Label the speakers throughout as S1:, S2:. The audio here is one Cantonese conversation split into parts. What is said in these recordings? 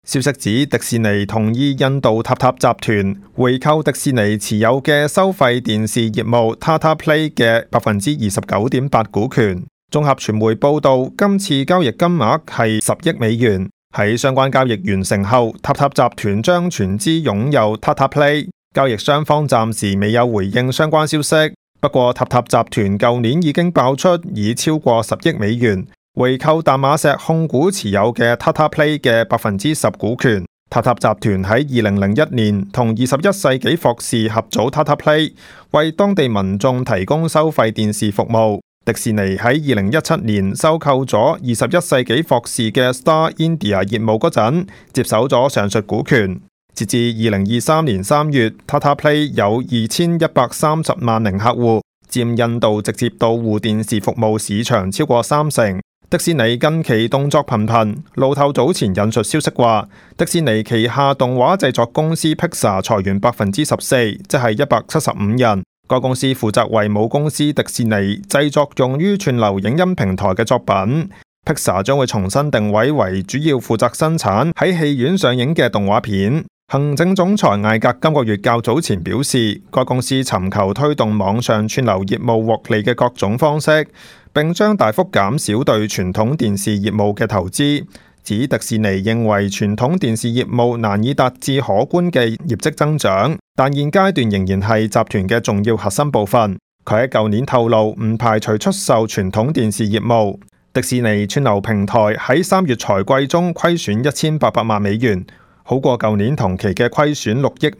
S1: 消息指迪士尼同意印度塔塔集團回購迪士尼持有嘅收費電視業務 Tata Play 嘅 29.8% 股權。綜合傳媒報道，今次交易金額係10億美元。喺相關交易完成後，塔塔集團將全資擁有 Tata Play。交易雙方暫時未有回應相關消息。不過塔塔集團舊年已經爆出以超過10億美元回購淡馬錫控股持有嘅 Tata Play 嘅10%股權。塔塔集團喺2001年同21世紀霍士合組 Tata Play， 為當地民眾提供收費電視服務。迪士尼喺2017年收購咗21世紀霍士嘅 Star India 業務嗰陣，接手咗上述股權。截至2023年3月 ，Tata Play 有2130萬名客戶，佔印度直接到戶電視服務市場超過30%。迪士尼近期動作頻頻，路透早前引述消息話，迪士尼旗下動畫製作公司 Pixar 裁員14%，即係175人。該公司負責為母公司迪士尼製作用於串流影音平台嘅作品。Pixar 將會重新定位為主要負責生產喺戲院上映嘅動畫片。行政總裁艾格今個月較早前表示，該公司尋求推動網上串流業務獲利嘅各種方式，並將大幅減少對傳統電視業務嘅投資。指迪士尼認為傳統電視業務難以達至可觀嘅業績增長，但現階段仍然係集團嘅重要核心部分。佢喺舊年透露唔排除出售傳統電視業務。迪士尼串流平台喺3月財季中虧損1800萬美元，好過舊年同期嘅虧損6億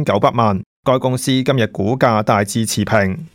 S1: 5900萬。該公司今日股價大致持平。